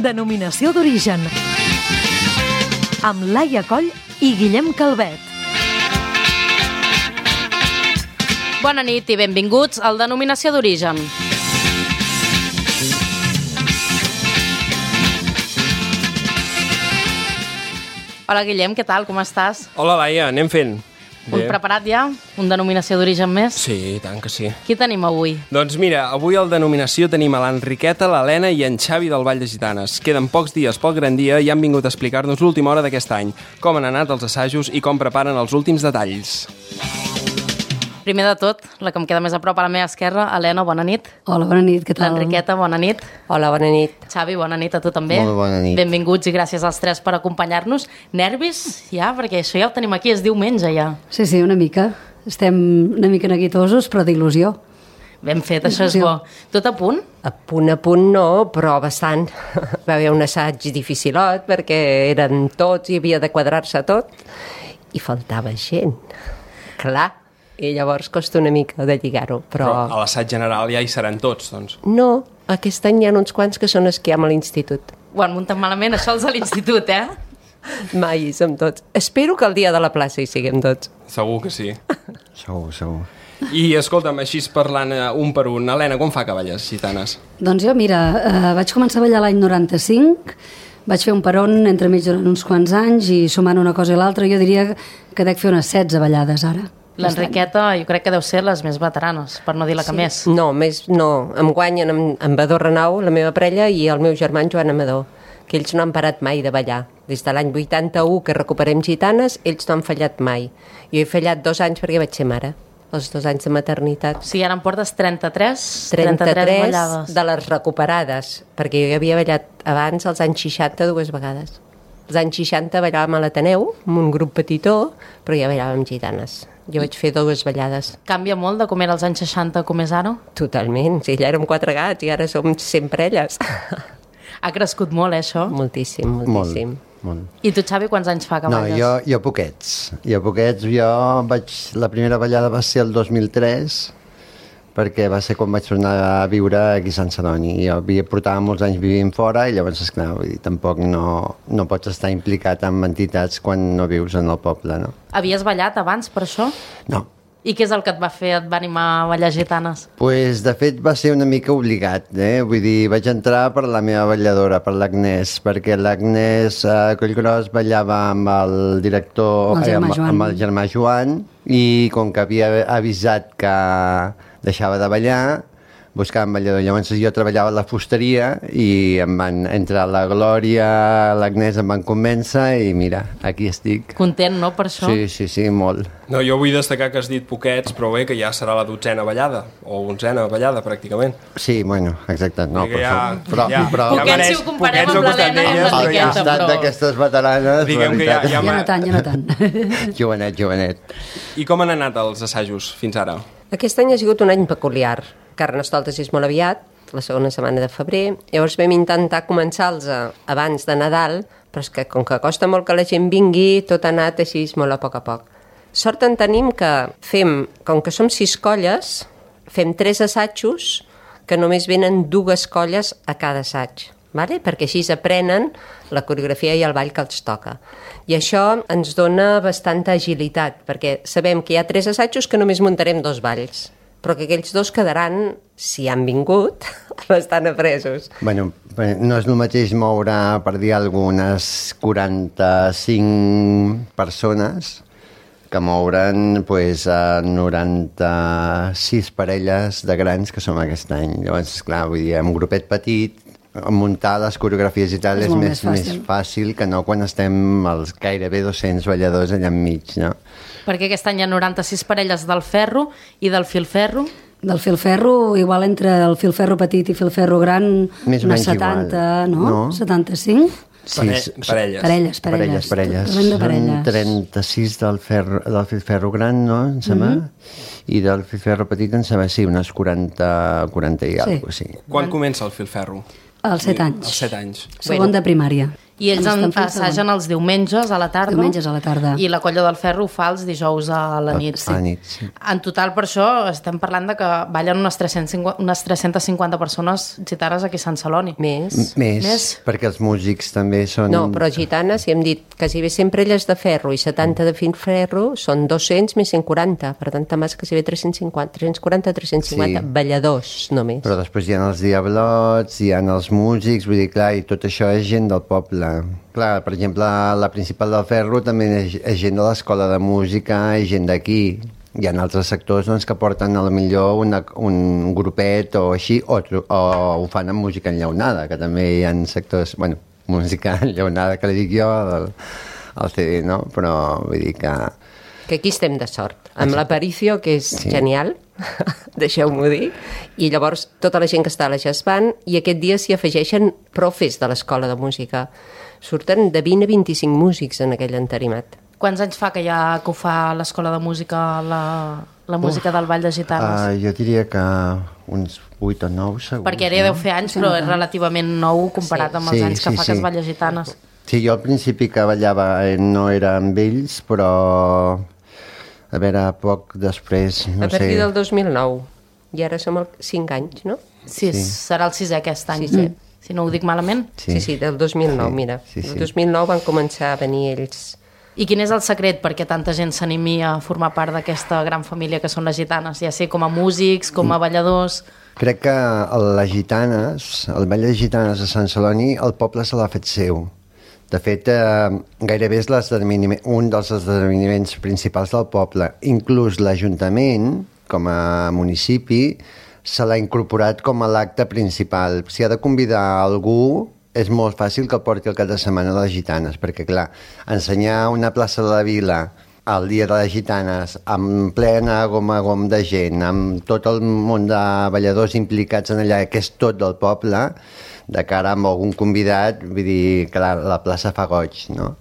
Denominació d'origen. Amb Laia Coll i Guillem Calvet. Bona nit i benvinguts al Denominació d'origen. Hola Guillem, què tal? Com estàs? Hola Laia, anem fent. Un preparat ja? Un Denominació d'origen més? Sí, i tant que sí. Qui tenim avui? Doncs mira, avui al Denominació tenim a l'Enriqueta, l'Helena i en Xavi del Vall de Gitanes. Queden pocs dies pel gran dia i han vingut a explicar-nos l'última hora d'aquest any, com han anat els assajos i com preparen els últims detalls. Primer de tot, la que em queda més a prop a la meva esquerra, Helena, bona nit. Hola, bona nit, què tal? L'Enriqueta, bona nit. Hola, bona nit. Xavi, bona nit a tu també. Molt bona nit. Benvinguts i gràcies als tres per acompanyar-nos. Nervis, ja? Perquè això ja ho tenim aquí, és diumenge ja. Sí, una mica. Estem una mica neguitosos, però d'il·lusió. Ben fet, això és bo. Tot a punt? A punt no, però bastant. Va haver un assaig dificilot perquè eren tots i havia de quadrar-se tot i faltava gent. Clar. I llavors costa una mica de lligar-ho, però a l'assaig general ja hi seran tots, doncs. No, aquest any hi ha uns quants que són esquiam a l'institut. Ho han muntat malament, això els a l'institut, eh? Mai hi som tots. Espero que el dia de la plaça hi siguem tots. Segur que sí. Segur. I escolta'm, així parlant un per un, Helena, com fa que balles gitanes? Doncs jo, mira, vaig començar a ballar l'any 95, vaig fer un peron entremig durant uns quants anys i sumant una cosa i l'altra jo diria que dec fer unes 16 ballades ara. L'Enriqueta jo crec que deu ser les més veteranes, per no dir la que més. No, més no. Em guanyen en Badó Renau, la meva parella, i el meu germà en Joan Amador, que ells no han parat mai de ballar. Des de l'any 81 que recuperem gitanes, ells no han fallat mai. Jo he fallat 2 anys perquè vaig ser mare, els 2 anys de maternitat. Sí, ara em portes 33 ballades. De les recuperades, perquè jo havia ballat abans, als anys 60, 2 vegades. Als anys 60 ballàvem a l'Ateneu, amb un grup petitó, però ja ballàvem gitanes. Jo vaig fer 2 ballades. Canvia molt de com era als anys 60 com és ara? Totalment, sí, allà érem 4 gats i ara som 100 parelles. Ha crescut molt, això? Moltíssim. Molt. I tu, Xavi, quants anys fa que balles? No, jo poquets. La primera ballada va ser el 2003, perquè va ser quan vaig tornar a viure aquí a Sant Celoni. Jo portava molts anys vivint fora i llavors, esclar, vull dir, tampoc no pots estar implicat en entitats quan no vius en el poble, no? Havies ballat abans per això? No. I què és el que et va fer, et va animar a ballar gitanes? Pues, de fet, va ser una mica obligat, Vull dir, vaig entrar per la meva balladora, per l'Agnès, perquè l'Agnès Collgros ballava amb el director, amb el germà Joan, i com que havia avisat que deixava de ballar, buscàvem ballador. Llavors jo treballava a la fusteria i em van entrar la Glòria, l'Agnès em van convèncer i mira, aquí estic. Content, no, per això? Sí, molt. No, jo vull destacar que has dit poquets, però bé, que ja serà la 12a ballada, o 11a ballada, pràcticament. Sí, bueno, exacte. No, però poquets si ho comparem amb l'Helena i amb l'Enriqueta, però... Al costat d'aquestes veteranes, diguem que ja no tant. Jovenet. I com han anat els assajos fins ara? Aquest any ha sigut un any peculiar. Carnestoltes és molt aviat, la segona setmana de febrer. Llavors vam intentar començar-los abans de Nadal, però és que com que costa molt que la gent vingui, tot ha anat així molt a poc. Sort en tenim que com que som 6 colles, fem 3 assajos que només venen 2 colles a cada assaig. Vale? Perquè així aprenen la coreografia i el ball que els toca. I això ens dona bastanta agilitat, perquè sabem que hi ha 3 assajos que només muntarem 2 balls, però que aquells 2 quedaran, si han vingut, bastant apresos. Bueno, no és el mateix moure, per dir algunes 45 persones que mouren 96 parelles de grans que som aquest any. Llavors, clar, vull dir, un grupet petit, muntar les coreografies i tal és més fàcil que no quan estem els gairebé 200 balladors allà enmig, no? Perquè aquest any hi ha 96 parelles del ferro i del filferro. Del filferro, igual entre el filferro petit i filferro gran, unes 70, no? 75? Sí, parelles. Són 36 del filferro gran, no? Em sembla? I del filferro petit, em sembla, sí, unes 40 i alguna cosa, sí. Quan comença el filferro? Als 7 anys. Als 7 anys. Segon de primària. I ells assagen els diumenges a la tarda. Diumenges a la tarda. I la Colla del Ferro ho fa els dijous a la nit. A la nit, sí. En total, per això, estem parlant de que ballen unes 350 persones gitanes aquí a Sant Celoni. Més, perquè els músics també són... No, però gitanes, si hem dit quasi bé sempre elles de ferro i 70 de ferro, són 200 més 140. Per tant, també és quasi bé 340, balladors només. Però després hi ha els diablots, hi ha els músics, vull dir, clar, i tot això és gent del poble. Clar, per exemple, la principal del Ferro també és gent de l'escola de música i gent d'aquí. Hi ha altres sectors doncs, que porten a la millor un grupet o així, o ho fan amb música enllaunada, que també hi ha sectors, bueno, música enllaunada que li dic jo al CD, no? Però vull dir que aquí estem de sort, amb l'Aparicio, que és genial, deixeu-m'ho dir, i llavors tota la gent que està a la Jazz Band, i aquest dia s'hi afegeixen profes de l'escola de música. Surten de 20 a 25 músics en aquell entarimat. Quants anys fa que ho fa l'escola de música, la música del Ball de Gitanes? Jo diria que uns 8 o 9 segons. Perquè ara ja deu fer anys, però és relativament nou comparat amb els anys que fa que es balla Gitanes. Sí, jo al principi que ballava no era amb ells, però a veure, poc després, no sé... A partir del 2009, i ara som 5 anys, no? Sí, serà el 6è aquest any, si no ho dic malament. Sí, del 2009, mira. El 2009 van començar a venir ells. I quin és el secret perquè tanta gent s'animi a formar part d'aquesta gran família que són les gitanes, ja sé com a músics, com a balladors? Crec que les gitanes, el Ball de Gitanes de Sant Celoni, el poble se l'ha fet seu. De fet, gairebé és un dels esdeveniments principals del poble. Inclús l'Ajuntament, com a municipi, se l'ha incorporat com a l'acte principal. Si ha de convidar algú, és molt fàcil que el porti el cap de setmana de les gitanes, perquè, clar, ensenyar una plaça de la vila el dia de les gitanes, amb plena gom a gom de gent, amb tot el món de balladors implicats en allà, que és tot del poble, de cara amb algun convidat, vull dir que la plaça fa goig, no?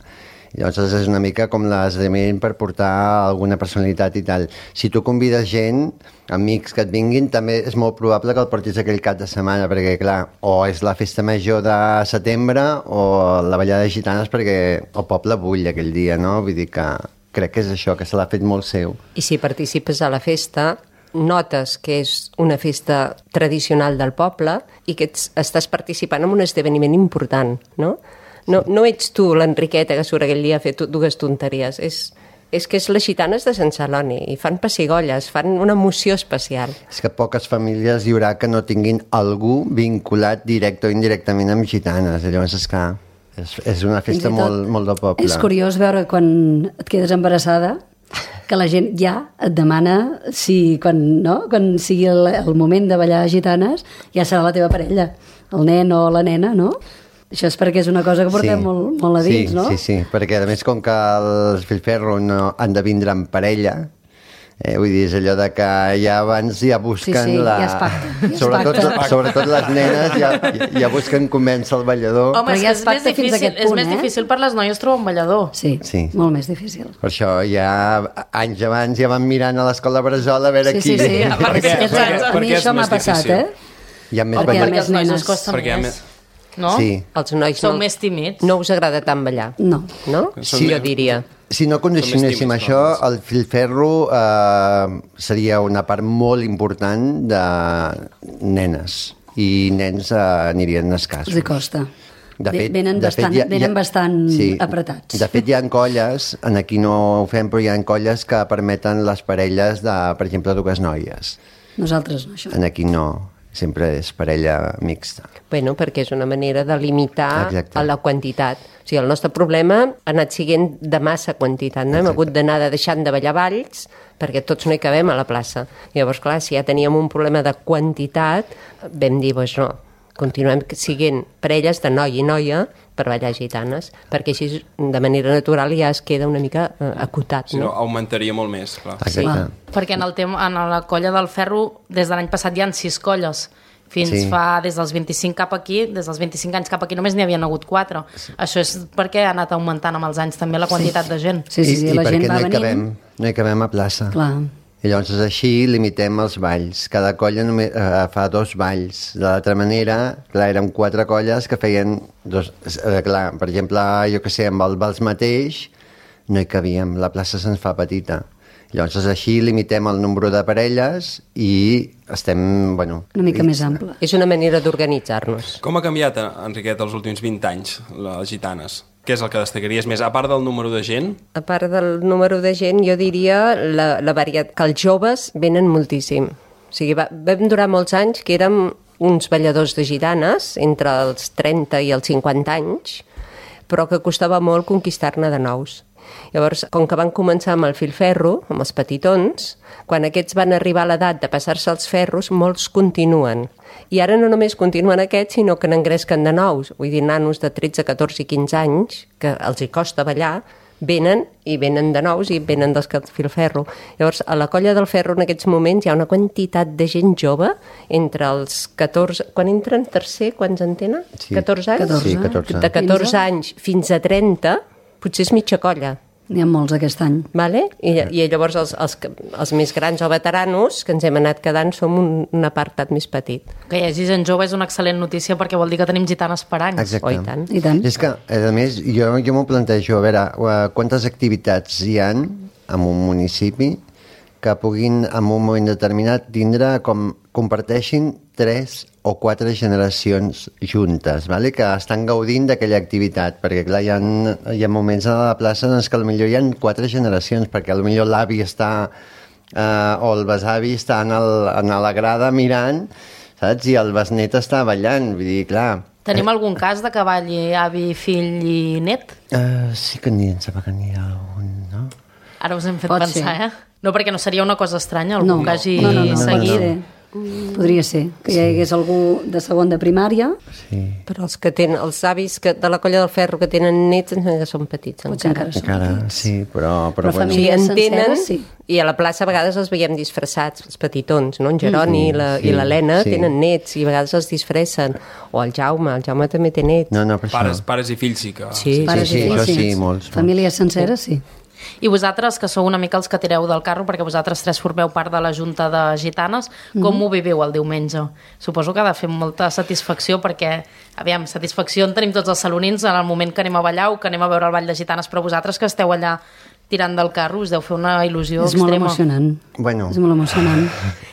Llavors és una mica com l'esdeveniment per portar alguna personalitat i tal. Si tu convides gent, amics que et vinguin, també és molt probable que el portis aquell cap de setmana, perquè clar, o és la festa major de setembre o la ballada de gitanes, perquè el poble bull aquell dia, no? Vull dir que crec que és això, que se l'ha fet molt seu. I si participes a la festa, notes que és una festa tradicional del poble i que estàs participant en un esdeveniment important, no? No ets tu l'Enriqueta que surt aquell dia a fer dues tonteries, és que és les gitanes de Sant Celoni i fan pessigolles, fan una emoció especial. És que poques famílies hi haurà que no tinguin algú vinculat directe o indirectament amb gitanes, llavors és clar, és una festa molt del poble. És curiós veure quan et quedes embarassada que la gent ja et demana si quan sigui el moment de ballar gitanes ja serà la teva parella, el nen o la nena, no? Això és perquè és una cosa que portem molt a dins, no? Sí, perquè a més com que els filferro no han de vindre en parella, vull dir, és allò de que ja abans ja busquen ja es pacta. Sobretot les nenes ja busquen convèncer el ballador. Home, ja es pacta fins a aquest punt, és més difícil per les noies trobar un ballador. Sí, molt més difícil. Per això ja anys abans ja van mirant a l'escola Bressol a veure qui... Sí, a mi això m'ha passat, Hi ha més perquè els nois us costa més. No? Sí. Els nois són més tímids. No us agrada tant ballar? No? Sí, jo diria. Si no condicionéssim això, el filferro seria una part molt important de nenes i nens anirien escassos. Els costa. Venen bastant apretats. De fet, hi ha colles, aquí no ho fem, però hi ha colles que permeten les parelles de, per exemple, dues noies. Nosaltres no, això. Aquí no. Sempre és parella mixta. Bueno, perquè és una manera de limitar a la quantitat. O sigui, el nostre problema ha anat siguent de massa quantitat, no? Hem hagut d'anar deixant de ballar balls perquè tots no hi cabem a la plaça. I llavors, clar, si ja teníem un problema de quantitat, vam dir, doncs no, continuem siguent parelles de noi i noia per ballar gitanes, perquè així de manera natural ja es queda una mica acotat, no? Si no, augmentaria molt més, clar. Sí, perquè en la colla del ferro des de l'any passat hi ha 6 colles. Fa des dels 25 cap aquí, des dels 25 anys cap aquí només n'hi havien hagut 4. Això és perquè ha anat augmentant amb els anys també la quantitat de gent. Sí, la gent va venint. No hi cabem a plaça. Clar. I llavors així limitem els balls. Cada colla fa 2 balls. De l'altra manera, clar, eren 4 colles que feien 2... clar, per exemple, jo que sé, amb el vals mateix no hi cabíem, la plaça se'ns fa petita. Llavors així limitem el nombre de parelles i estem, bueno... Una mica més ample. És una manera d'organitzar-nos. Com ha canviat, Enriqueta, els últims 20 anys, les gitanes? Què és el que destacaries més, a part del número de gent? A part del número de gent, jo diria la varietat, que els joves venen moltíssim. O sigui, vam durar molts anys que érem uns balladors de gitanes, entre els 30 i els 50 anys, però que costava molt conquistar-ne de nous. Llavors, com que van començar amb el filferro, amb els petitons, quan aquests van arribar a l'edat de passar-se els ferros, molts continuen. I ara no només continuen aquests, sinó que n'engresquen de nous. Vull dir, nanos de 13, 14 i 15 anys, que els hi costa ballar, venen de nous i venen dels filferro. Llavors, a la colla del ferro en aquests moments hi ha una quantitat de gent jove entre els 14... Quan entren tercer, quants en tenen? Sí. 14 anys? 14. Sí, 14. De 14 anys fins a 30, potser és mitja colla. N'hi ha molts aquest any. Vale? I llavors els més grans o veteranos que ens hem anat quedant som un apartat més petit. Que hi hagi gent jove és una excel·lent notícia perquè vol dir que tenim gitanes per anys. Exacte. Oh, i tant. I tant. És que, a més, jo m'ho plantejo, a veure, quantes activitats hi ha en un municipi que puguin, en un moment determinat, tindre com comparteixin 3 o 4 generacions juntes, vale? Que estan gaudint d'aquella activitat, perquè clar, hi ha moments a la plaça en què potser hi ha 4 generacions, perquè potser l'avi està o el besavi està en la grada mirant, saps? I el besnet està ballant, vull dir, clar... Tenim algun cas de que balli avi, fill i net? Sí que n'hi ha algun, no? Ara us hem fet Pot pensar, ser. No, perquè no seria una cosa estranya, algú que hagi no, seguit. Podria ser que hi hagués algú de segon de primària. Sí. Però els que tenen, els avis de la colla del ferro que tenen nets ens que són petits Potser encara. Encara, sí, però Però bueno. Sí, famílies en tenen, senceres, sí. i a la plaça a vegades els veiem disfressats, els petitons, no? En Jeroni i l'Helena sí. tenen nets i a vegades els disfressen. O el Jaume també té nets. No, per això. Pares i fills sí que... Sí. Pares sí, i fills, això sí, molts. Famílies senceres, sí. I vosaltres, que sou una mica els que tireu del carro, perquè vosaltres 3 formeu part de la Junta de Gitanes, com ho viviu el diumenge? Suposo que ha de fer molta satisfacció, perquè, aviam, satisfacció en tenim tots els salonins en el moment que anem a ballar o que anem a veure el Ball de Gitanes, però vosaltres que esteu allà tirant del carro, us deu fer una il·lusió És molt extrema. emocionant. Bueno. És molt emocionant.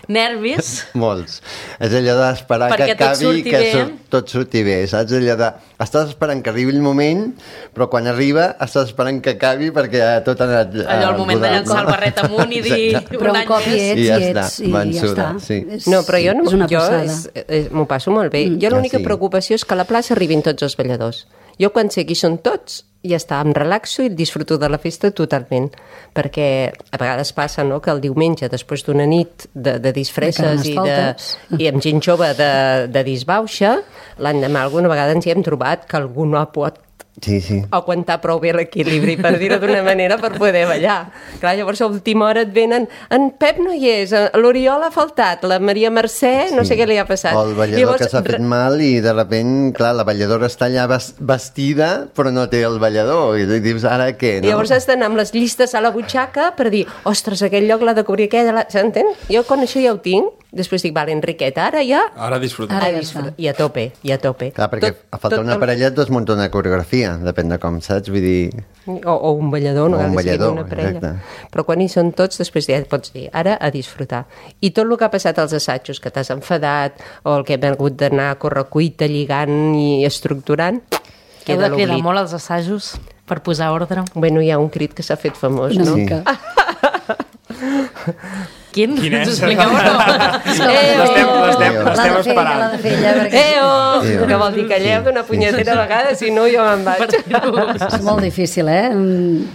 Nervis? Molts. És allò d'esperar que Perquè tot acabi surti que bé. tot surti bé, saps? Allò de... Estàs esperant que arribi el moment, però quan arriba estàs esperant que acabi perquè tot ha anat... Allò, el moment de llançar el barret amunt i dir Però un cop hi ets, I ja hi està, ets, i ja vençuda, està. sí. No, però jo, és una passada. m'ho passo molt bé. Jo l'única sí. preocupació és que a la plaça arribin tots els balladors. Jo quan sé qui són tots, ja està, em relaxo i disfruto de la festa totalment, perquè a vegades passa, no?, que el diumenge, després d'una nit de disfresses i amb gent jove de disbauxa, l'endemà alguna vegada ens hi hem trobat que algú no ha pot Sí. aguantar prou bé l'equilibri, per dir-ho d'una manera, per poder ballar. Clar, llavors a última hora et venen, en Pep no hi és, l'Oriol ha faltat, la Maria Mercè, no sé què li ha passat. O el ballador llavors, que s'ha fet mal i de repent, clar, la balladora està allà vestida però no té el ballador i dius, ara què? No? I llavors has d'anar amb les llistes a la butxaca per dir, ostres, aquell lloc l'ha de cobrir aquella... S'entén? Jo quan això ja ho tinc, després dic, vale, Enriqueta, ara ja... Ara disfrutar. Ara ja està. I a tope. Clar, perquè a falta una parella et desmunta una coreografia, depèn de com, saps? Vull dir... O un ballador, no O un cal que sigui ballador, una parella. exacte. Però quan hi són tots, després ja pots dir, ara a disfrutar. I tot el que ha passat als assajos, que t'has enfadat, o el que hem hagut d'anar a correcuita, lligant i estructurant, Heu queda de cridar l'oblit. molt als assajos per posar ordre. Bueno, hi ha un crit que s'ha fet famós, Una no? mica. Quin? Quin és? Ens expliqueu o no? L'estem esperant. L'ha de fer ella, perquè Que vol dir que calleu d'una punyetera vegada, si no jo me'n vaig. és molt difícil,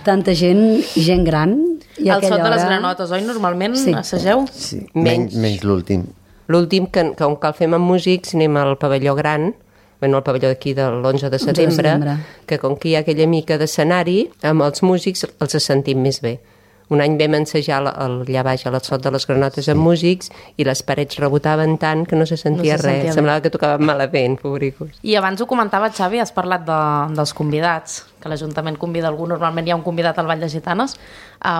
Tanta gent i gent gran. I El son de les hora... granotes, oi? Normalment Sí. assageu? Sí. Menys. Menys l'últim. L'últim, que com que el fem amb músics, anem al pavelló gran, bueno, el pavelló d'aquí de l'11 de setembre, que com que hi ha aquella mica d'escenari, amb els músics els sentim més bé. Un any vam ensejar allà baix a l'Sot de les Granotes amb músics i les parets rebotaven tant que no se sentia No se sentia res. bé. Semblava que tocaven malament, pobricos. I abans ho comentava, Xavi, has parlat dels convidats, que l'Ajuntament convida algú, normalment hi ha un convidat al Ball de Gitanes.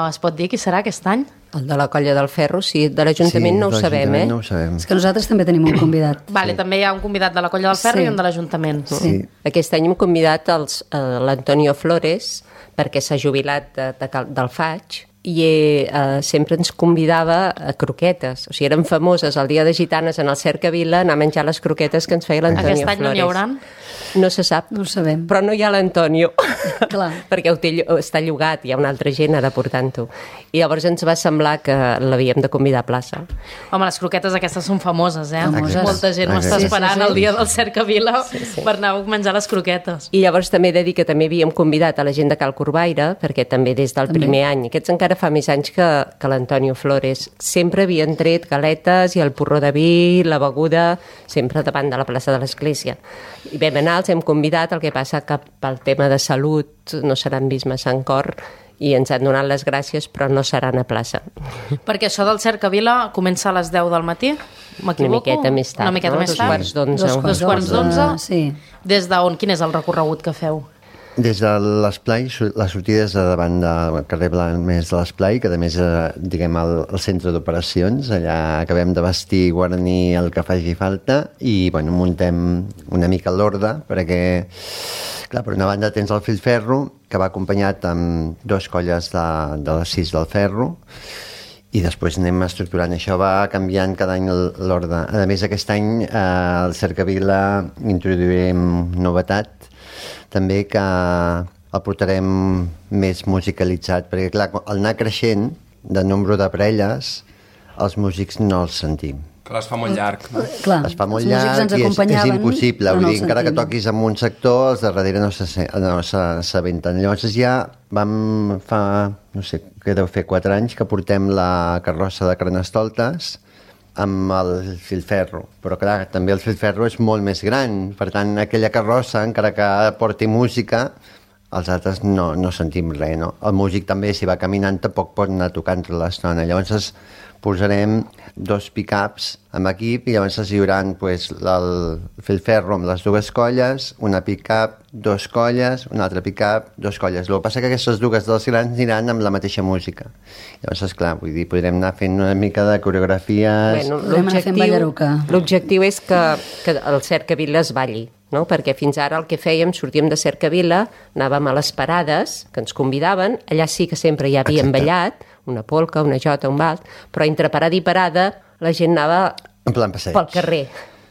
Es pot dir qui serà aquest any? El de la Colla del Ferro, sí, de l'Ajuntament no ho sabem, no ho sabem. És que nosaltres també tenim un convidat. Vale, també hi ha un convidat de la Colla del Ferro Sí. i un de l'Ajuntament. Sí. Aquest any hem convidat l'Antonio Flores perquè s'ha jubilat del FAIG i sempre ens convidava a croquetes. O sigui, eren famoses el dia de Gitanes en el Cercavila anar a menjar les croquetes que ens feia l'Antonio Flores. Aquest any no n'hi hauran? No se sap. No ho sabem. Però no hi ha l'Antonio, Clar. perquè està llogat, hi ha una altra gent ara portant-ho. I llavors ens va semblar que l'havíem de convidar a plaça. Home, les croquetes aquestes són famoses, eh? Famoses. Molta gent ho està Exacte. esperant el dia del Cercavila per anar a menjar les croquetes. I llavors també he de dir que també havíem convidat a la gent de Cal Corbaire, perquè també des del primer any, aquests encara fa més anys que l'Antonio Flores, sempre havien tret galetes i el porró de vi, la beguda, sempre davant de la plaça de l'Església. I vam anar, els hem convidat, el que passa que pel tema de salut no seran vist massa en cor i ens han donat les gràcies, però no seran a plaça. Perquè això del Cercavila comença a les 10 del matí, m'equivoco? Una miqueta més tard, Una miqueta no? més Dos tard. quarts d'onze. Dos quarts d'onze. Sí. Des d'on? Quin és el recorregut que feu? Des de l'Esplai, la sortida és davant del carrer Blanes de l'Esplai, que a més diguem el centre d'operacions, allà acabem de vestir i guarnir el que faci falta i bueno, muntem una mica l'ordre perquè, clar, per una banda tens el filferro que va acompanyat amb dos colles de les 6 del ferro i després anem estructurant. Això va canviant cada any l'ordre. A més, aquest any al Cercavila introduirem novetat també que el portarem més musicalitzat, perquè clar, al anar creixent de nombre de parelles, els músics no els sentim. Clar, es fa molt llarg. Clar, Es fa molt els músics llarg ens i és acompanyaven, impossible. però Vull no dir, els encara que sentim. toquis en un sector, els de darrere no s'aventen. Llavors ja vam fa, no sé, què deu fer, 4 anys que portem la carrossa de Carnestoltes amb el filferro. Però clar, també el filferro és molt més gran. Per tant, aquella carrossa, encara que porti música, els altres no sentim res, no? El músic també, si va caminant, tampoc pot anar tocant tota l'estona. Llavors posarem 2 pick-ups amb equip i llavors hi haurà pues, el filferro amb les 2 colles, una pick-up, 2 colles, una altra pick-up, 2 colles. El que passa que aquestes 2 dels grans aniran amb la mateixa música. Llavors, esclar, vull dir, podrem anar fent una mica de coreografies... Bueno, Podem anar fent ballaruca. l'objectiu és que el Cercavila es balli, no? Perquè fins ara el que fèiem, sortíem de Cercavila, anàvem a les parades que ens convidaven, allà sí que sempre hi havíem ballat, una polca, una jota, un vals, però entre parada i parada la gent anava En plan passeig. pel carrer.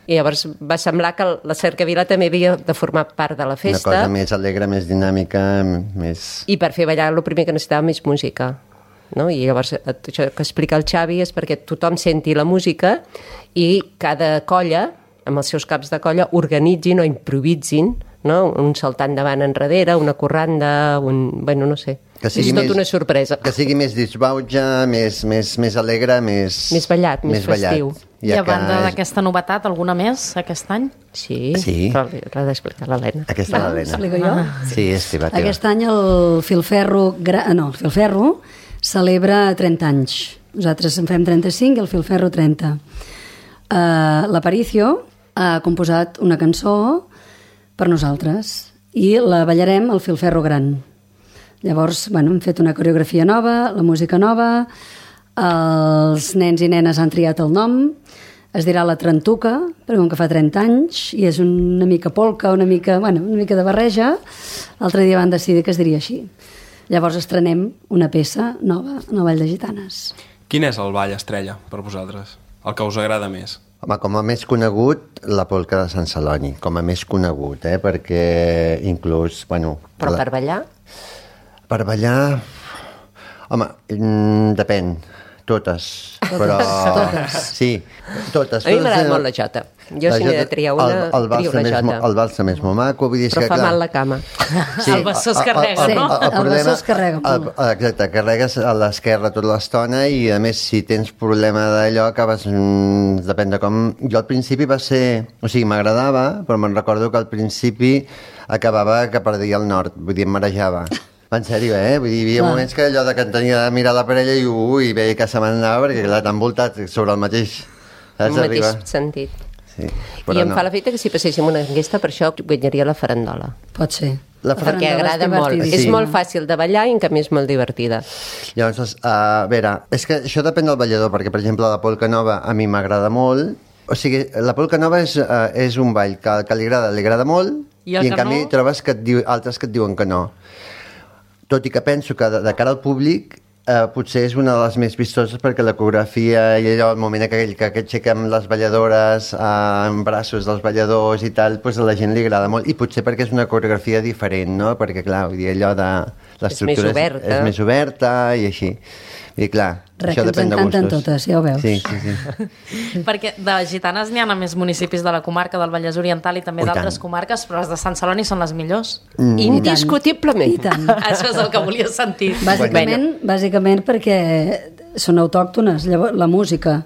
I llavors va semblar que la Cercavila també havia de formar part de la Una festa. cosa més alegre, més dinàmica, més... I per fer ballar el primer que necessitàvem és música. No? I llavors això que explica el Xavi és perquè tothom senti la música i cada colla, amb els seus caps de colla, organitzin o improvisin, no? Un saltant davant enrere, una corranda, bueno, no sé. Que sigui és tot més- una sorpresa. Que sigui més disbauja, més alegre, Més ballat, més festiu. I a banda d'aquesta novetat, alguna més aquest any? Sí, Sí. però l'ha d'explicar l'Helena. Aquesta és l'Helena. Explico jo? Sí, és teva. Aquest any el Filferro, el Filferro celebra 30 anys. Nosaltres en fem 35 i el Filferro 30. L'Aparicio ha composat una cançó per nosaltres i la ballarem al Filferro Gran. Llavors, bueno, hem fet una coreografia nova, la música nova, els nens i nenes han triat el nom, es dirà la Trentuca, perquè com que fa 30 anys, i és una mica polca, una mica de barreja, l'altre dia van decidir que es diria així. Llavors estrenem una peça nova en el Ball de Gitanes. Quin és el ball estrella per vosaltres? El que us agrada més? Home, com a més conegut, la polca de Sant Celoni, com a més conegut, perquè inclús, bueno... Però per ballar? Per ballar... Home, depèn, totes. Però... Totes. Sí, totes. A mi m'agrada totes, molt la jota. Jo si n'he de triar una, trio una jota. El vals també és molt maco, vull dir... Però que, fa clar, mal la cama. El bessó es carrega, no? el bessó es carrega molt. Exacte, carregues a l'esquerra tota l'estona i a més si tens problema d'allò acabes... depèn de com... Jo al principi va ser... O sigui, m'agradava, però me'n recordo que al principi acabava que perdia el nord, vull dir, em marejava. En sèrio, Vull dir, hi havia moments que allò de que tenia de mirar la parella i veia que se m'anava perquè clar, t'han voltat sobre el mateix... En el mateix sentit. Sí, I em fa l'efecte que si passéssim una enquesta, per això guanyaria la farandola. Pot ser. perquè agrada molt. Sí. És molt fàcil de ballar i en canvi és molt divertida. Llavors, a veure, és que això depèn del ballador, perquè, per exemple, la polca nova a mi m'agrada molt. O sigui, la polca nova és un ball que li agrada molt i en canvi trobes altres que et diuen que no. Tot i que penso que de cara al públic potser és una de les més vistoses perquè la coreografia i allò, el moment aquell que aixequem les balladores en braços dels balladors i tal, doncs a la gent li agrada molt i potser perquè és una coreografia diferent, no? Perquè clar, vull dir, allò de l'estructura és més oberta i així. I clar, això depèn de gustos. Ens encanten totes, ja ho veus. Sí. Perquè de gitanes n'hi ha a més municipis de la comarca del Vallès Oriental i també d'altres comarques, però les de Sant Celoni són les millors. Indiscutiblement. I tant. Això és el que volia sentir. Bàsicament perquè són autòctones, llavors la música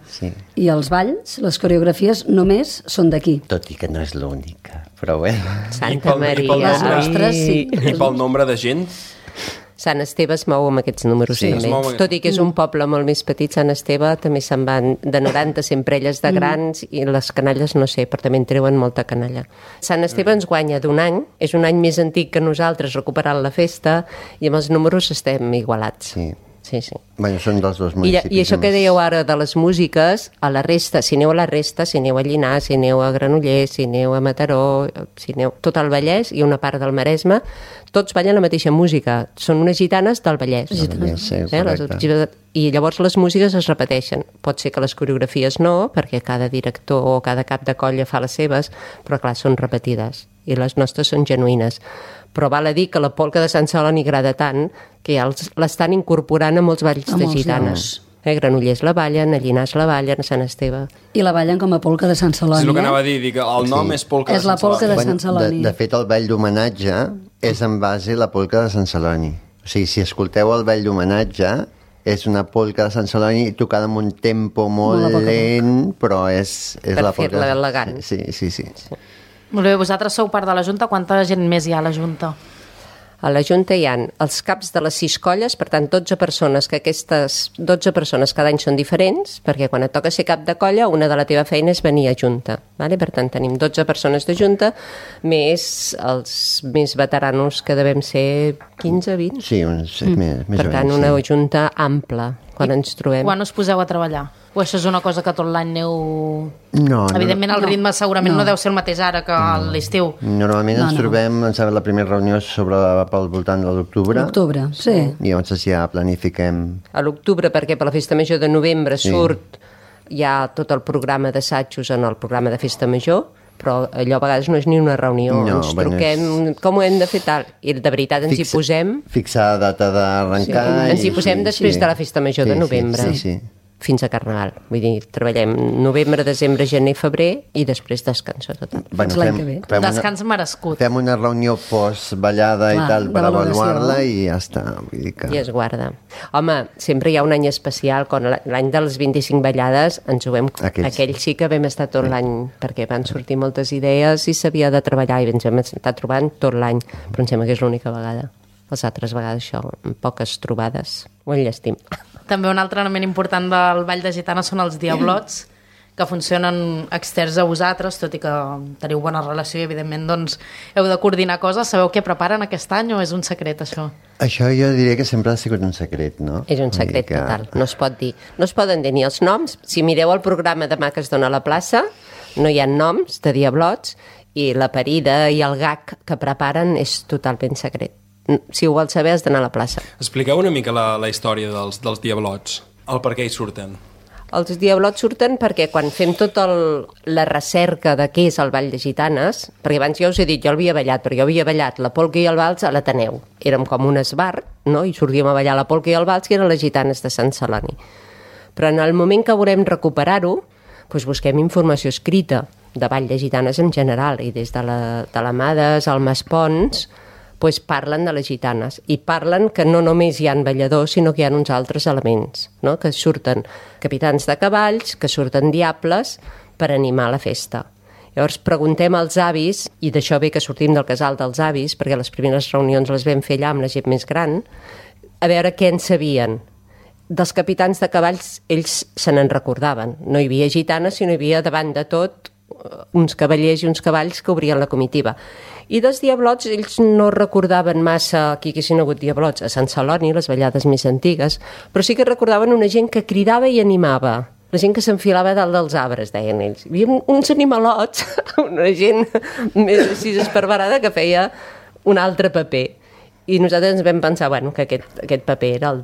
i els balls, les coreografies només són d'aquí. Tot i que no és l'única, però bé. Santa Maria. Les nostres, sí. I pel nombre de gent? Sant Esteve es mou amb aquests números també. Tot i que és un poble molt més petit, Sant Esteve també se'n van de 90 sempre elles de grans i les canalles no sé, però també en treuen molta canalla. Sant Esteve ens guanya d'un any, és un any més antic que nosaltres recuperant la festa i amb els números estem igualats. Sí. Bueno, són dels dos municipis. I això que dèieu ara de les músiques, a la resta, si aneu a la resta, si aneu a Llinars, si aneu a Granollers, si aneu a Mataró, si aneu tot el Vallès i una part del Maresme, tots ballen la mateixa música. Són unes gitanes del Vallès. I llavors les músiques es repeteixen. Pot ser que les coreografies no, perquè cada director o cada cap de colla fa les seves, però clar, són repetides. I les nostres són genuïnes. Però val a dir que la polca de Sant Celoni agrada tant que ja l'estan incorporant a molts balls de gitanes. Granollers la ballen, a Llinars la ballen, a Sant Esteve. I la ballen com a polca de Sant Celoni. És el que anava a dir, el nom és polca de Sant Celoni. És la polca de Sant Celoni. De fet, el ball d'homenatge és en base a la polca de Sant Celoni. O sigui, si escolteu el ball d'homenatge, és una polca de Sant Celoni tocada amb un tempo molt lent, però és la polca... Per fer-la elegant. Sí. Molt bé, vosaltres sou part de la Junta. Quanta gent més hi ha a la Junta? A la Junta hi ha els caps de les 6 colles, per tant 12 persones, que aquestes 12 persones cada any són diferents, perquè quan et toca ser cap de colla, una de la teva feina és venir a Junta. Vale? Per tant, tenim 12 persones de Junta, més els més veteranos, que devem ser 15, 20? Sí, més per tant, una Junta ampla, quan ens trobem. Quan us poseu a treballar? O això és una cosa que tot l'any aneu... No. Evidentment el ritme segurament no deu ser el mateix ara que a l'estiu. Normalment ens trobem, em sembla, la primera reunió pel voltant de l'octubre. L'octubre, sí. I llavors ja planifiquem... A l'octubre, perquè per la Festa Major de novembre surt ja tot el programa d'assajos en el programa de Festa Major, però allò a vegades no és ni una reunió, ens truquem, com ho hem de fer tal, i de veritat ens hi posem... Fixar data d'arrencar... Ens hi posem després de la Festa Major de novembre. Sí. Fins a Carnaval. Vull dir, treballem novembre, desembre, gener, febrer i després descanso total. Descans merescut. Fem una reunió post-ballada i tal per avaluar-la i ja està. Vull dir que... I es guarda. Home, sempre hi ha un any especial, quan l'any de les 25 ballades ens ho vam... Aquell sí que vam estar tot l'any, perquè van sortir moltes idees i s'havia de treballar i ens vam estar trobant tot l'any, però em sembla que és l'única vegada. Les altres vegades això, amb poques trobades, ho enllestim. També un altre element important del Ball de Gitanes són els diablots, que funcionen externs a vosaltres, tot i que teniu bona relació i evidentment doncs, heu de coordinar coses. Sabeu què preparen aquest any o és un secret això? Això jo diria que sempre ha sigut un secret, no? És un secret total, no es pot dir. No es poden dir ni els noms. Si mireu el programa demà que es dona a la plaça, no hi ha noms de diablots i la parida i el gag que preparen és totalment secret. Si ho vols saber has d'anar a la plaça. Expliqueu una mica la història dels diablots, el per què hi surten. Els diablots surten perquè quan fem tota la recerca de què és el Ball de Gitanes, perquè abans ja us he dit, jo l'havia ballat, però jo havia ballat la polca i el vals a l'Ateneu. Érem com un esbar, no? I sortíem a ballar la polca i el vals, que eren les gitanes de Sant Celoni. Però en el moment que volem recuperar-ho, doncs busquem informació escrita de Ball de Gitanes en general, i des de la Mades al Maspons, doncs parlen de les gitanes i parlen que no només hi ha balladors sinó que hi ha uns altres elements, no? Que surten capitans de cavalls, que surten diables per animar la festa. Llavors preguntem als avis, i d'això ve que sortim del casal dels avis, perquè les primeres reunions les vam fer allà amb la gent més gran, a veure què en sabien. Dels capitans de cavalls ells se n'en recordaven, no hi havia gitanes sinó hi havia davant de tot uns cavallers i uns cavalls que obrien la comitiva. I dels diablots, ells no recordaven massa que hi haguessin hagut diablots a Sant Celoni, les ballades més antigues, però sí que recordaven una gent que cridava i animava. La gent que s'enfilava dalt dels arbres, deien ells. Hi havia uns animalots, una gent més així esparverada que feia un altre paper. I nosaltres ens vam pensar que aquest paper era el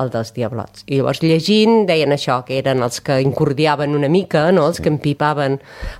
dels diablots. I llavors llegint deien això, que eren els que incordiaven una mica, no? Els que empipaven,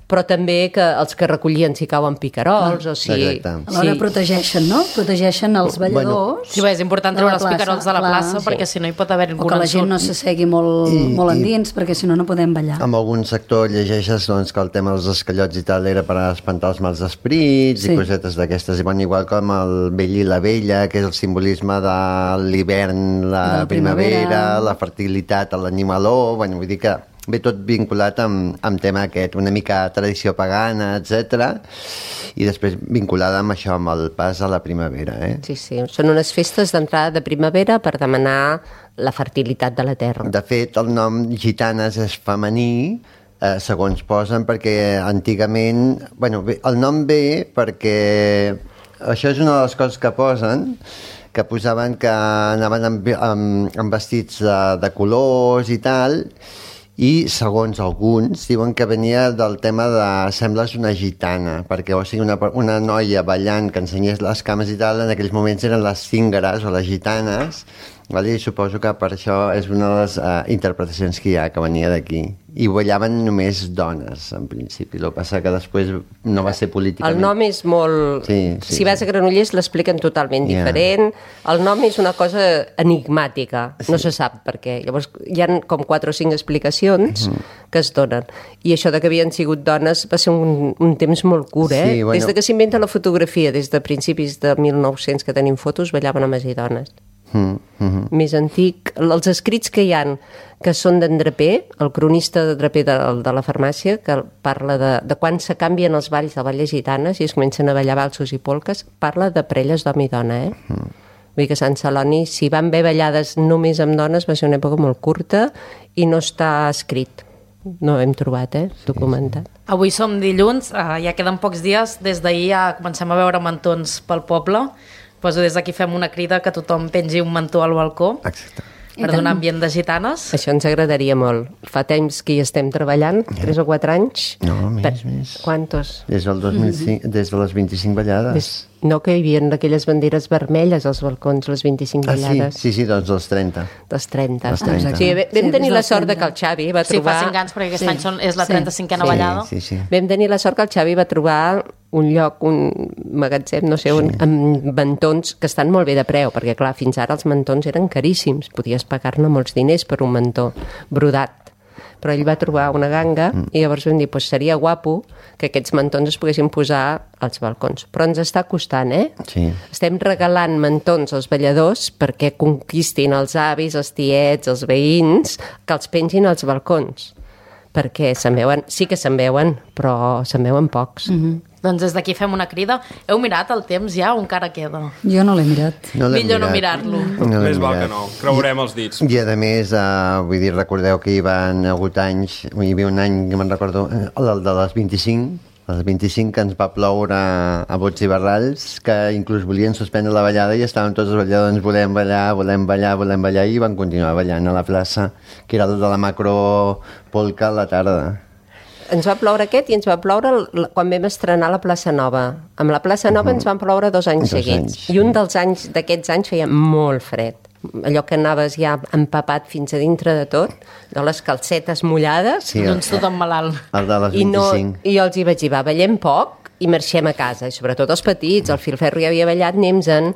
però també que els que recollien si cauen picarols, o si... Alhora protegeixen, no? Protegeixen els balladors. Sí, és important treure els picarols de la plaça, perquè si no hi pot haver o que la gent no s'assegui molt endins, perquè si no podem ballar. En algun sector llegeixes que el tema dels esquellots i tal era per espantar els mals esprits i cosetes d'aquestes. I igual com el vell i la vella, que és el simbolisme de l'hivern, la primavera, la fertilitat a l'animaló, vull dir que ve tot vinculat amb tema aquest, una mica tradició pagana, etc. I després vinculada amb això, amb el pas a la primavera. Sí, són unes festes d'entrada de primavera per demanar la fertilitat de la terra. De fet, el nom gitanes és femení, segons posen, perquè antigament... el nom ve perquè... Això és una de les coses que posen, que posaven que anaven amb vestits de colors i tal, i segons alguns diuen que venia del tema de sembles una gitana, perquè o sigui una noia ballant que ensenyés les cames i tal, en aquells moments eren les cíngares o les gitanes, i suposo que per això és una de les interpretacions que hi ha, que venia d'aquí. I ballaven només dones, en principi. El que passa que després no va ser políticament... El nom és molt... Si vas a Granollers l'expliquen totalment diferent. El nom és una cosa enigmàtica, no se sap per què. Llavors hi ha com 4 o 5 explicacions que es donen. I això de que havien sigut dones va ser un temps molt curt, Des de que s'inventa la fotografia, des de principis de 1900 que tenim fotos, ballaven homes i dones. Més antic, els escrits que hi han que són d'en Draper, el cronista de Draper de la farmàcia, que parla de quan se canvien els balls de balles gitanes i es comencen a ballar valsos i polques, parla de parelles d'home i dona, Vull dir que a Sant Celoni, si van haver ballades només amb dones, va ser una època molt curta i no està escrit. No ho hem trobat, documentat. Avui som dilluns, ja queden pocs dies, des d'ahir ja comencem a veure mantons pel poble. Des d'aquí fem una crida que tothom pengi un mantó al balcó. Exacte. Per donar ambient de gitanes. Això ens agradaria molt. Fa temps que hi estem treballant, 3 o 4 anys. No, més. Quantos? Des del 2005, des de les 25 ballades. No, que hi havia aquelles banderes vermelles als balcons, les 25 ballades. Sí, doncs dels 30. Dels 30. Sí, vam tenir la sort que el Xavi va trobar... Sí, fa 5 anys, perquè aquest any és la 35a ballada. Sí. Vam tenir la sort que el Xavi va trobar un lloc, un magatzem, no sé on, amb mantons que estan molt bé de preu, perquè clar, fins ara els mantons eren caríssims, podies pagar-ne molts diners per un mantó brodat. Però ell va trobar una ganga i llavors vam dir, seria guapo que aquests mantons es poguessin posar als balcons. Però ens està costant, Sí. Estem regalant mantons als balladors perquè conquistin els avis, els tiets, els veïns, que els pengin als balcons. Perquè se'n veuen, sí que se'n veuen, però se'n veuen pocs. Doncs des d'aquí fem una crida. Heu mirat el temps ja o encara queda? Jo no l'he mirat. Millor no mirar-lo. Més val que no. Creurem els dits. I a més, vull dir, recordeu que hi van hagut anys, hi havia un any que me'n recordo, el de les 25, els 25 que ens va ploure a bots i barralls, que inclús volien suspendre la ballada i estàvem tots els balladors, volem ballar, i van continuar ballant a la plaça, que era el de la macropolca a la tarda. Ens va ploure aquest i ens va ploure quan vam estrenar la plaça Nova. Amb la plaça Nova ens van ploure 2 anys seguits. I un dels anys d'aquests anys feia molt fred. Allò que anaves ja empapat fins a dintre de tot, de les calcetes mullades. Sí, doncs tothom malalt. El de les 25. I jo els hi vaig dir, ballem poc i marxem a casa, i sobretot els petits, el Filferro ja havia ballat, anem-se'n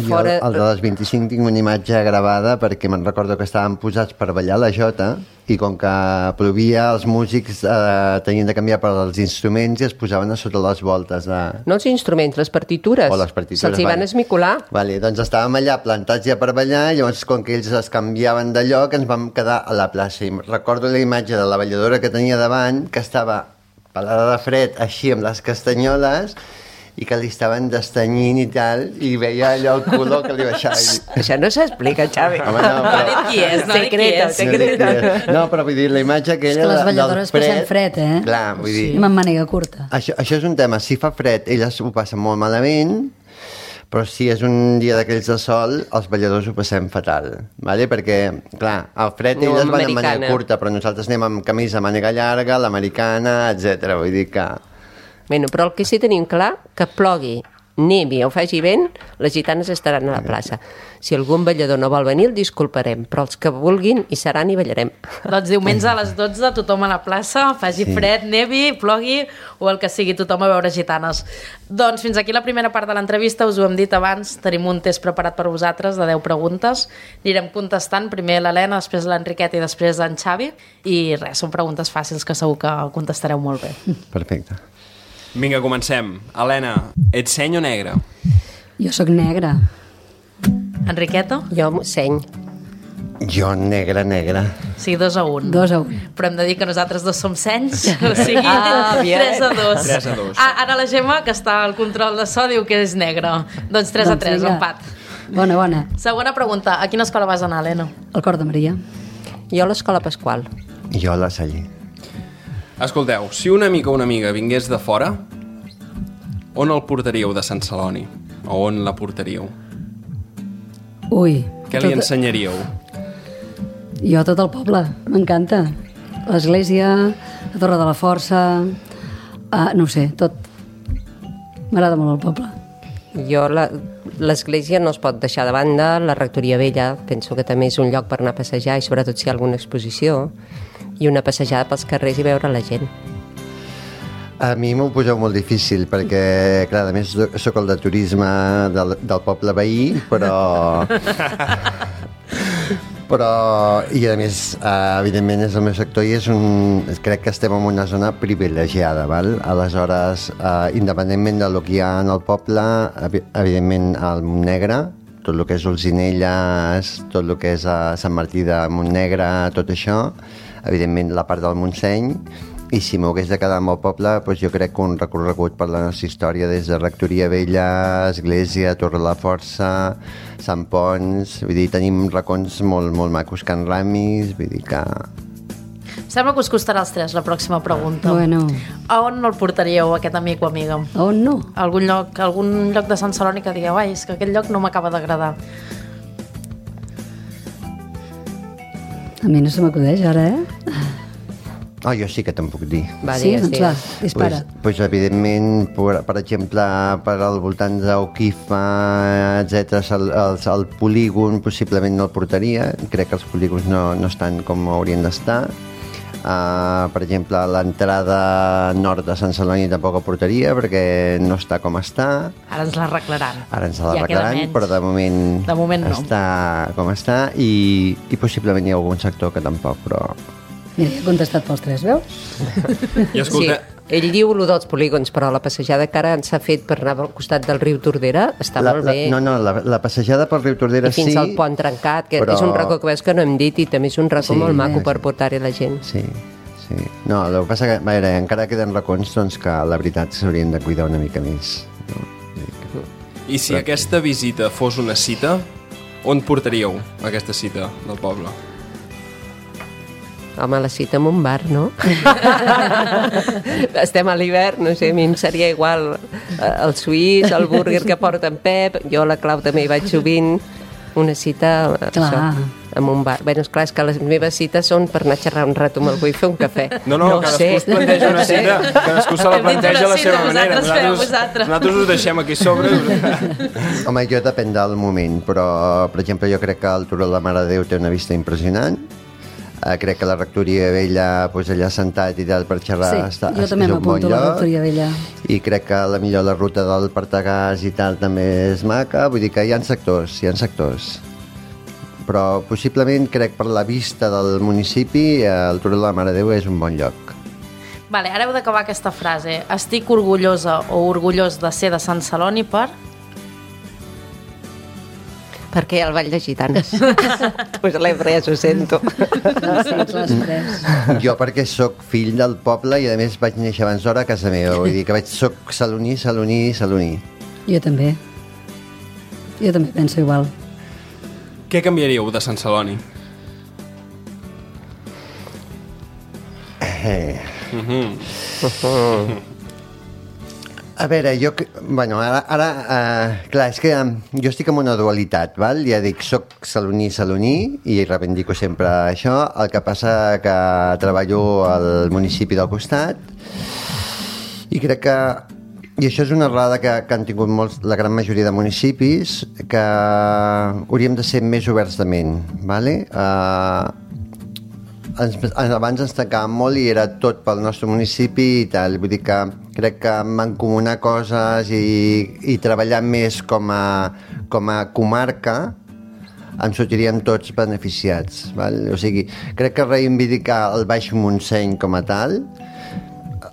fora... El de les 25 tinc una imatge gravada perquè me'n recordo que estàvem posats per ballar la jota i com que plovia els músics tenien de canviar per als instruments i es posaven a sota les voltes de... No els instruments, les partitures. O les partitures. Se'ls hi van esmicolar. Vale, doncs estàvem allà plantats ja per ballar i llavors com que ells es canviaven de lloc ens vam quedar a la plaça i recordo la imatge de la balladora que tenia davant que estava pelada de fred, així amb les castanyoles, i que li estaven destanyint i tal, i veia allò el color que li baixava. Això no s'explica, Xavi. Home, no, No ha dit qui és, no ha dit qui és. Secreto. No, però vull dir, la imatge aquella És que les del balladores passem fred, eh? Clar, vull dir... I amb màniga curta. Això és un tema. Si fa fred, elles ho passen molt malament, però si és un dia d'aquells de sol, els balladors ho passem fatal, ¿vale? Perquè, clar, al fred No, elles van amb americana. màniga curta, però nosaltres anem amb camisa màniga llarga, l'americana, etc. Vull dir que... Bueno, però el que sí tenim clar, que plogui, nevi o faci vent, les gitanes estaran a la plaça. Si algun ballador no vol venir, el disculparem, però els que vulguin hi seran i ballarem. Doncs diumenge a les 12, tothom a la plaça, faci fred, nevi, plogui o el que sigui, tothom a veure gitanes. Doncs fins aquí la primera part de l'entrevista, us ho hem dit abans, tenim un test preparat per vosaltres de 10 preguntes, anirem contestant, primer l'Helena, després l'Enriqueta i després en Xavi, i res, són preguntes fàcils que segur que contestareu molt bé. Perfecte. Vinga, comencem. Helena, ets seny o negre? Jo sóc negra. Enriqueta? Jo seny. Jo negra. O sigui, 2-1. 2-1. Però hem de dir que nosaltres dos som senys, o sigui, bien. 3-2. 3-2. Ara la Gemma, que està al control de so, diu que és negra. Doncs 3-3, vinga. empat. Bona. Segona pregunta, a quina escola vas anar, Helena? El cor de Maria. Jo a l'escola Pasqual. Jo a la Salle. Escolteu, si un amic o una amiga vingués de fora, on el portaríeu de Sant Celoni? O on la portaríeu? Ui. Què li ensenyaríeu? Jo a tot el poble, m'encanta. L'església, la Torre de la Força, no ho sé, tot. M'agrada molt el poble. Jo, l'església no es pot deixar de banda, la rectoria vella, penso que també és un lloc per anar a passejar i sobretot si hi ha alguna exposició, i una passejada pels carrers i veure la gent. A mi m'ho poseu molt difícil perquè, clar, a més sóc el de turisme del poble veí, però i a més, evidentment és el meu sector i crec que estem en una zona privilegiada, val? Aleshores, independentment del que hi ha en el poble, evidentment el Montnegre, tot el que és Olzinelles, tot el que és Sant Martí de Montnegre, tot això, evidentment la part del Montseny, i si m'ho hagués de quedar amb el poble, doncs jo crec que un recorregut per la nostra història des de Rectoria Vella, Església, Torre de la Força, Sant Pons, vull dir, tenim racons molt, molt macos, Can Ramis, vull dir que... Sembla que us costarà als tres la pròxima pregunta. Bueno. A on el portaríeu, aquest amic o amiga? A on no? Algun lloc de Sant Celoni que digueu, ai, és que aquest lloc no m'acaba d'agradar. A mi no se m'acudeix ara, eh? Jo sí que te'n puc dir. Va, Sí, digues, doncs va, digues. dispara. Pues evidentment, per exemple, per al voltant d'Oquifa, etc, el polígon possiblement no el portaria. Crec que els polígons no estan com haurien d'estar. Per exemple, l'entrada nord de Sant Celoni tampoc el portaria perquè no està com està. Ara ens l'arreglaran. Ara ens Ja queda l'arreglaran, menys. però de moment no. està com està i possiblement hi ha algun sector que tampoc, però... Mira, he contestat pels tres, veus? I escolta, Sí, ell diu allò dels polígons, però la passejada que ara s'ha fet per anar al costat del riu Tordera està molt bé. La passejada pel riu Tordera I fins sí... al pont trencat, que però- és un racó que veus que no hem dit i també és un racó Sí, molt maco sí. per portar-hi la gent. Sí. No, el que passa que, a veure, encara queden racons doncs, que la veritat s'haurien de cuidar una mica més. No? i si aquesta visita fos una cita, on portaríeu aquesta cita del poble? Home, la cita en un bar, no? Estem a l'hivern, no sé, a mi em seria igual el suís, el burger que porta en Pep, jo a la Clau també hi vaig sovint, una cita Clar. en un bar. Bé, esclar, és que les meves cites són per anar a xerrar un rato amb algú i fer un cafè. No, cadascú es planteja una cita, cadascú se la Hem dit planteja a la una seva cita, manera. vosaltres feu, vosaltres. Nosaltres us deixem aquí sobre. Home, jo depèn del moment, però, per exemple, jo crec que el Turó de la Mare de Déu té una vista impressionant. Crec que la rectoria vella, doncs allà sentat i tal per xerrar, Sí, jo també m'apunto a la rectoria vella. I crec que la ruta del Partagàs i tal també és maca, vull dir que hi ha sectors, Però possiblement crec per la vista del municipi el Turó de la Mare de Déu és un bon lloc. Vale, ara heu d'acabar aquesta frase. Estic orgullosa o orgullós de ser de Sant Celoni per... Perquè hi ha el ball de gitanes. Pues l'he pres, ho sento. L'has pres. Jo perquè sóc fill del poble i a més vaig néixer abans d'hora a casa meva, vull dir que soc saloní. Jo també penso igual. Què canviaríeu de Sant Celoni? A veure, ara clar, és que jo estic en una dualitat, val? Ja dic, soc saloní i reivindico sempre això, el que passa que treballo al municipi del costat i crec que, i això és una errada que han tingut la gran majoria de municipis, que hauríem de ser més oberts de ment, vale? Abans ens tancàvem molt i era tot pel nostre municipi i tal, vull dir que crec que mancomunar coses i treballar més com a comarca ens sortiríem tots beneficiats, val? O sigui, crec que reivindicar el Baix Montseny com a tal,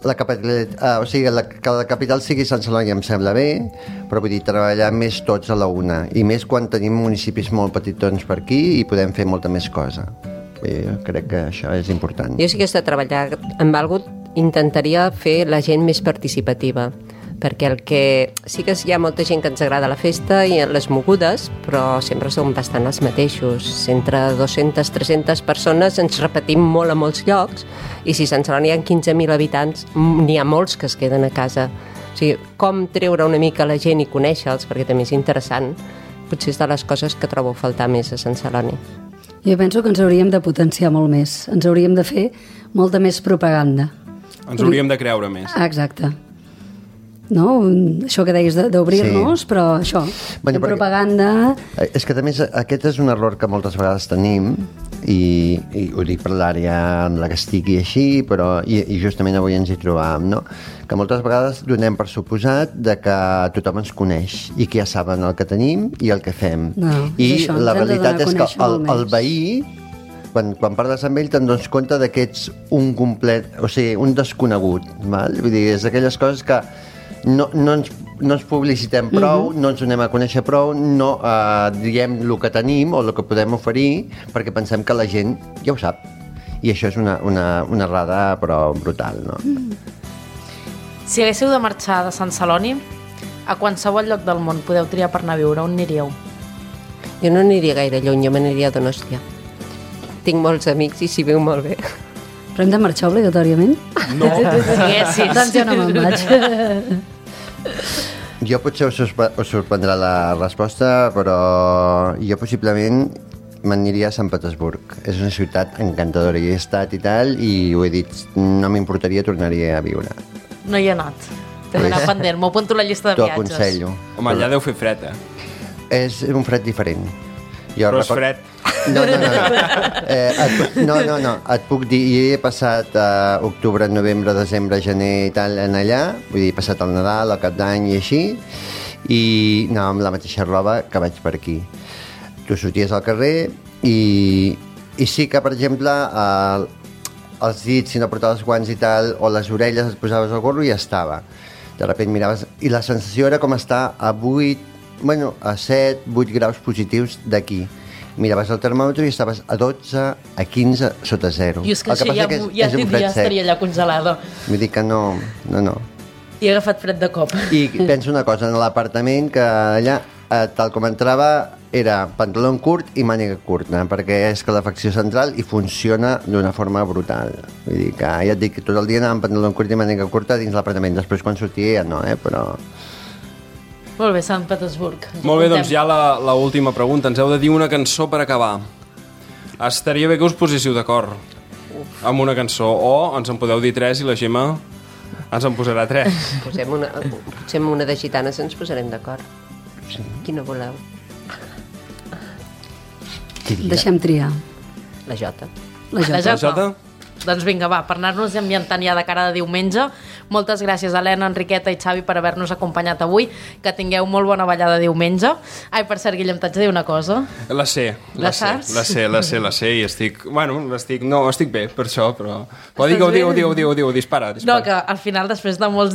que la capital sigui Sant Celoni em sembla bé, però vull dir, treballar més tots a la una, i més quan tenim municipis molt petitons per aquí i podem fer molta més cosa. Jo crec que això és important. Jo sí que he estat treballant amb algú, intentaria fer la gent més participativa, perquè el que sí que hi ha molta gent que ens agrada la festa i les mogudes, però sempre som bastant els mateixos. Entre 200-300 persones ens repetim molt a molts llocs, i si a Sant Celoni hi ha 15.000 habitants, n'hi ha molts que es queden a casa. O sigui, com treure una mica la gent i conèixer-los, perquè també és interessant, potser és de les coses que trobo a faltar més a Sant Celoni. Jo penso que ens hauríem de potenciar molt més. Ens hauríem de fer molta més propaganda. Ens hauríem de creure més. Exacte. No? Això que deies d'obrir-nos, sí. Però això, propaganda... És que també aquest és un error que moltes vegades tenim, i ho dic per l'àrea en la que estic i així, però i justament avui ens hi trobàvem, no? Que moltes vegades donem per suposat de que tothom ens coneix i que ja saben el que tenim i el que fem. No, i això, la realitat és que el veí, quan parles amb ell te'n dones compte que ets un complet, o sigui, un desconegut, val? Vull dir, és d'aquelles coses que no ens publicitem prou, no ens donem a conèixer prou, no diem el que tenim o el que podem oferir, perquè pensem que la gent ja ho sap. I això és una errada, però brutal, no? Si haguéssiu de marxar de Sant Celoni, a qualsevol lloc del món podeu triar per anar a viure, on aniríeu? Jo no aniria gaire lluny, jo m'aniria a Donòstia. Tinc molts amics i s'hi viu molt bé. Però hem de marxar obligatòriament? No. Sí. Doncs jo no me'n vaig. Jo potser us sorprendrà la resposta, però jo possiblement m'aniria a Sant Petersburg. És una ciutat encantadora, hi he estat i tal, i ho he dit, no m'importaria tornar-hi a viure. No hi he anat. T'he d'anar pendent, m'ho apunto a la llista de T'ho viatges. aconsello. Home, allà deu fer fred, És un fred diferent. Però és fred. No. Et puc dir, jo he passat octubre, novembre, desembre, gener i tal en allà, vull dir, he passat el Nadal, el Cap d'Any i així, i anava amb la mateixa roba que vaig per aquí. Tu sorties al carrer i sí que, per exemple, els dits, si no portaves guants i tal, o les orelles et posaves el gorro i ja estava. De sobte miraves, i la sensació era com estar a 7, 8 graus positius d'aquí. Miraves el termòmetre i estaves a 12, a 15, sota zero. I és que això ja estaria allà congelada. Vull dir que no. I he agafat fred de cop. I penso una cosa, en l'apartament, que allà, tal com entrava, era pantaló curt i màniga curta, perquè és calefacció central i funciona d'una forma brutal. Vull dir que, ja et dic, tot el dia anava amb pantaló curt i màniga curta dins l'apartament. Després, quan sortia, ja no, però... Molt bé, Sant Petersburg. Molt bé, doncs ja la última pregunta. Ens heu de dir una cançó per acabar. Estaria bé que us poséssiu d'acord amb una cançó, o ens en podeu dir 3 i la Gemma ens en posarà 3. Potser amb una de gitanes ens posarem d'acord. Sí. Quina voleu? Deixem triar. La Jota. La Jota? Doncs vinga, va, per anar-nos ambientant ja de cara de diumenge. Moltes gràcies, Helena, Enriqueta i Xavi, per haver-nos acompanyat avui. Que tingueu molt bona ballada diumenge. Ai, per cert, Guillem, t'haig de dir una cosa. La sé. La saps? La sé, i estic... estic bé, per això, però... Però digue-ho, dispara. No, que al final, després de molts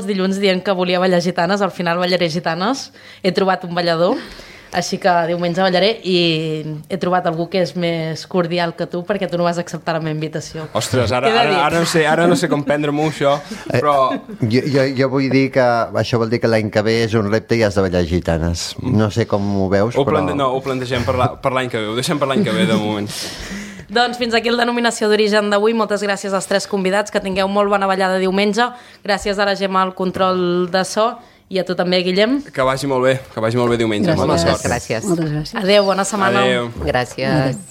dilluns dient que volia ballar gitanes, al final ballaré gitanes. He trobat un ballador. Així que diumenge ballaré i he trobat algú que és més cordial que tu perquè tu no vas acceptar la meva invitació. Ostres, ara no sé com prendre-m'ho, això, però... Jo vull dir que això vol dir que l'any que ve és un repte i has de ballar gitanes. No sé com ho veus, però... No, ho plantegem per l'any que ve, ho deixem per l'any que ve, de moment. Doncs fins aquí el Denominació d'Origen d'avui. Moltes gràcies als 3 convidats, que tingueu molt bona ballada diumenge. Gràcies a la Gemma al control de so i a tu també, Guillem. Que vagi molt bé diumenge. Moltes gràcies. Moltes gràcies. Adéu, bona setmana. Adéu. Gràcies.